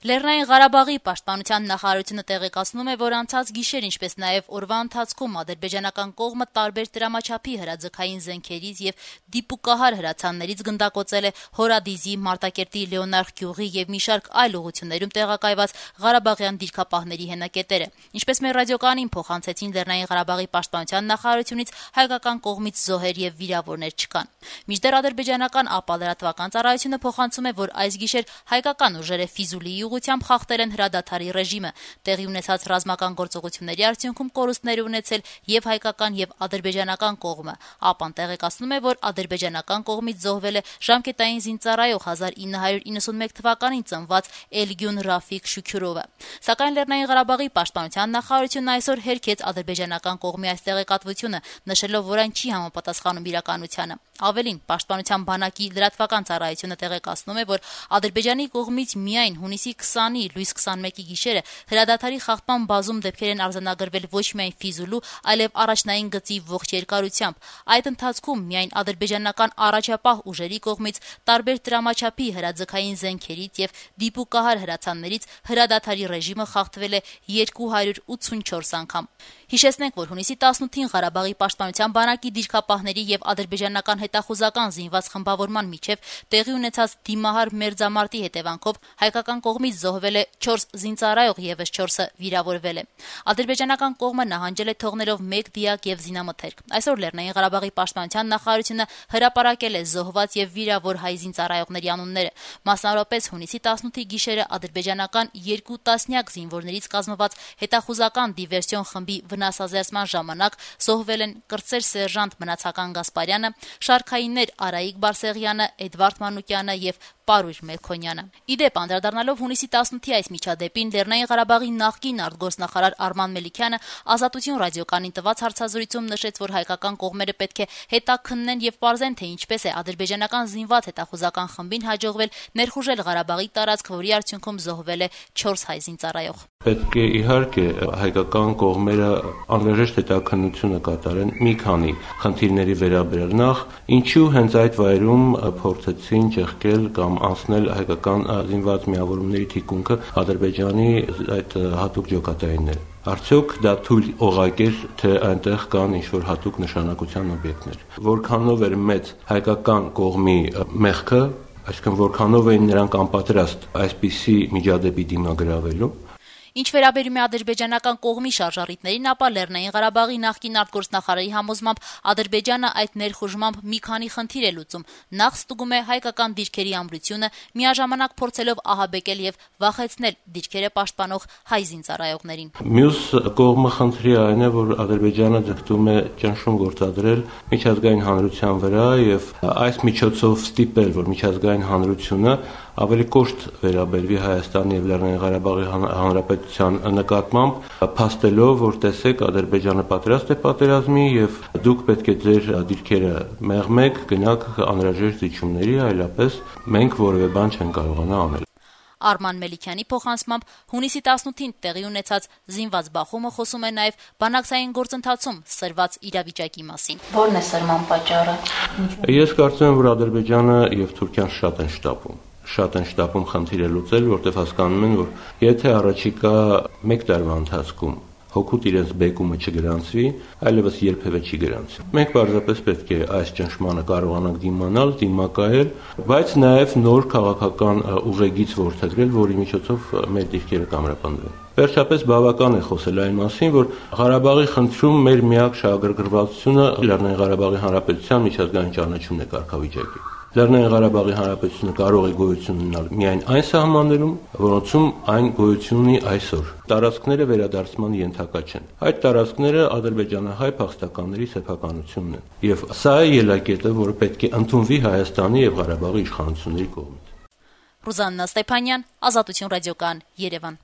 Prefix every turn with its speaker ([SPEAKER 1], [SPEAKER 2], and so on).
[SPEAKER 1] Լեռնային Ղարաբաղի պաշտպանության նախարարությունը տեղեկացնում է, որ անցած գիշեր, ինչպես նաև օրվա ընթացքում ադրբեջանական կողմը տարբեր տրամաչափի հրաձգային զենքերից եւ դիպուկահար հրացաններից գնդակոծել է Հորադիզի, Մարտակերտի, Լեոնարդ գյուղի եւ մի շարք այլ ուղություններում տեղակայված ղարաբաղյան դիրքապահների հենակետերը։ Ինչպես մեր ռադիոկայանին փոխանցեցին Լեռնային Ղարաբաղի պաշտպանության նախարարությունից, հայկական կողմից զոհեր եւ վիրավորներ չկան։ Մինչդեռ ադրբեջանական ապալրատվական ծառայությունը փոխանցում է, որ այս գիշեր հայկական ուժերը Ֆիզուլիի ուղղությամբ խախտել են հրադադարի ռեժիմը։ Տեղի ունեցած ռազմական գործողությունների արդյունքում կորուստներ ունեցել եւ հայկական եւ ադրբեջանական կողմը։ ԱՊԱ-ն տեղեկացնում է, որ ադրբեջանական կողմից զոհվել է ժամկետային զինծառայող 1991 թվականին ծնված Էլգյուն Ռաֆիկ Շուքյուրովը։ Սակայն Լեռնային Ղարաբաղի պաշտպանության նախարարությունն այսօր հերքեց ադրբեջանական կողմի այս տեղեկատվությունը, նշելով, որ այն չի համապատասխանում իրականությանը։ Ավելին, պաշտպանության բանակի լրատվական ծառայությունը տեղեկացնում է, որ Ադրբեջանի կողմից միայն հունիսի 20-ի լույս 21-ի գիշերը հրադադարի խախտման բազում դեպքեր են արձանագրվել ոչ միայն Ֆիզուլու, այլև առաջնային գծի ողջ երկարությամբ։ Այդ ընթացքում միայն ադրբեջանական առաջապահ ուժերի կողմից տարբեր տրամաչափի հրաձգային զենքերից եւ դիպուկահար հրացաններից հրադադարի ռեժիմը խախտվել է 284 անգամ։ Հիշեցնենք, որ հունիսի 18-ին Ղարաբաղի պաշտպանության բանակի դիրքապահների եւ ադրբեջանական հետախուզական զինված խմբավորման միջև տեղի ունեցած դիմահար մերձամարտի հետևանքով հայկական կողմից զոհվել է 4 զինծառայող, եւս 4-ը վիրավորվել է։ Ադրբեջանական կողմը նահանջել է թողնելով 1 դիակ եւ զինամթերք։ Այսօր Լեռնային Ղարաբաղի պաշտպանության նախարարությունը հրապարակել է զոհված եւ վիրավոր հայ զինծառայողների անունները։ Մասնավորապես հունիսի 18-ի գիշերը ադրբեջանական 2 տասնյակ զինվորներից կազմված հետախուզական դիվերսիոն խմբի վնասազերծման ժամանակ զոհվել են կրտսեր սերժանտ Մնացական Գասպարյանը, շարքայիններ Արայիկ Բարսեղյանը, Էդվարդ Մանուկյանը եւ Պարույր Մելքոնյանը։ Իդեպ, անդրադառնալով հունիսի 18-ի այս միջադեպին, Լեռնային Ղարաբաղի նախկին արտգործնախարար Արման Մելիքյանը Ազատություն ռադիոկայանին տված հարցազրույցում նշեց, որ հայկական կողմերը պետք է հետաքննեն եւ պարզեն, թե ինչպես է ադրբեջանական զինված հետախուզական խմբին հաջողվել ներխուժել Ղարաբաղի տարածք, որի արդյունքում զոհվել է 4 հայ զինծառայող։
[SPEAKER 2] Պետք է իհարկե հայկական կողմերը անհրաժեշտ հետաքննությունը կատարեն մի քանի խնդիրների վերաբերյալ։ Նախ, ինչու հենց այդ վայրում փորձեցին ճեղքել կամ անցնել հայկական զինված միավորումների թիկունքը Ադրբեջանի այդ հատուկ ջոկատայինները։ Արդյոք դա թույլ օղակ էր, թե այնտեղ կան ինչ-որ հատուկ նշանակության օբյեկտներ։ Որքանով էր մեծ հայկական կողմի մեղքը, այսինքն որքանով էին նրանք անպատրաստ այսպիսի միջադեպի դիմագրավելու։
[SPEAKER 1] Ինչ վերաբերում է ադրբեջանական կողմի շարժառիթներին, ապա Լեռնային Ղարաբաղի նախկին արտգործնախարարի համոզմամբ Ադրբեջանը այդ ներխուժմամբ մի քանի խնդիր է լուծում։ Նախ ստուգում է հայկական դիրքերի ամրությունը, միաժամանակ փորձելով ահաբեկել եւ վախեցնել դիրքերը պաշտպանող հայ զինծառայողներին։
[SPEAKER 2] Մյուս կողմը խնդրի այն է, որ Ադրբեջանը ձգտում է ճնշում գործադրել միջազգային հանրության վրա եւ այս միջոցով ստիպել, որ միջազգային հանրությունը ավելի կոշտ վերաբերվի Հայաստանի եւ Լեռնային Ղարաբաղի Հանրապետության նկատմամբ, փաստելով, որ տեսեք Ադրբեջանը պատրաստ է պատերազմի եւ դուք պետք է ձեր դիրքերը մեղմեք, գնաք անհրաժեշտ զիջումների, այլապես մենք որևէ բան չեն կարողանա անել։
[SPEAKER 1] Արման Մելիքյանի փոխանցմամբ հունիսի 18-ին տեղի ունեցած զինված բախումը խոսում է նաև բանակցային գործընթացում սրված իրավիճակի մասին։ Ո՞րն է սրման պատճառը։
[SPEAKER 2] Ես կարծում եմ, որ Ադրբեջանը եւ Թուրքիան շատ են շտապում խնդիրը լուծել, որտեղ հասկանում են, որ եթե առաջիկա 1 տարվա ընթացքում հոգուտ իրենց բեկումը չգրանցվի, այլևս երբևէ չի գրանցվի։ Մենք պարզապես պետք է այս ճնշմանը կարողանանք դիմանալ, դիմակայել, բայց նաև նոր քաղաքական ուղեգիծ որդեգրել, որի միջոցով մեր դիրքերը կամրապնդվեն։ Վերջապես բավական է խոսել այն մասին, որ Ղարաբաղի խնդրում մեր միակ շահագրգռվածությունը Լեռնային Ղարաբաղի Հանրապետության միջազգային ճանաչումն է կարգավիճակի։ Լեռնային Ղարաբաղի Հանրապետությունը կարող է գոյություն ունենալ միայն այն սահմաններում, որոնցում այն գոյություն ունի այսօր։ Տարածքները վերադարձման ենթակա չեն։ Այդ տարածքները ադրբեջանահայ փախստականների սեփականությունն են։ Եվ սա է ելակետը, որը պետք է ընդունվի Հայաստանի եւ Ղարաբաղի իշխանությունների կողմից։
[SPEAKER 1] Ռուզաննա Ստեփանյան, Ազատություն ռադիոկայան, Երևան։